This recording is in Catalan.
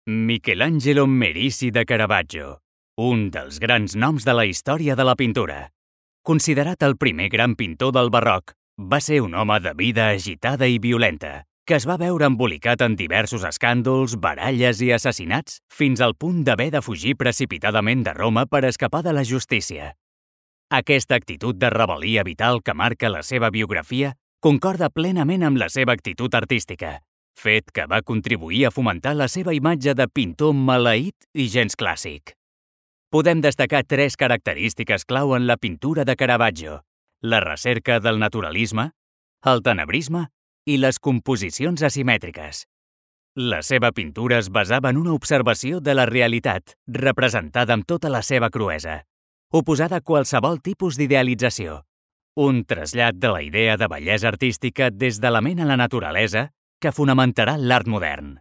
Michelangelo Merisi de Caravaggio, un dels grans noms de la història de la pintura. Considerat el primer gran pintor del barroc, va ser un home de vida agitada i violenta, que es va veure embolicat en diversos escàndols, baralles i assassinats, fins al punt d'haver de fugir precipitadament de Roma per escapar de la justícia. Aquesta actitud de rebel·lia vital que marca la seva biografia concorda plenament amb la seva actitud artística, fet que va contribuir a fomentar la seva imatge de pintor maleït i gens clàssic. Podem destacar 3 característiques clau en la pintura de Caravaggio: la recerca del naturalisme, el tenebrisme i les composicions asimètriques. La seva pintura es basava en una observació de la realitat, representada amb tota la seva cruesa, oposada a qualsevol tipus d'idealització. Un trasllat de la idea de bellesa artística des de la ment a la naturalesa que fonamentarà l'art modern.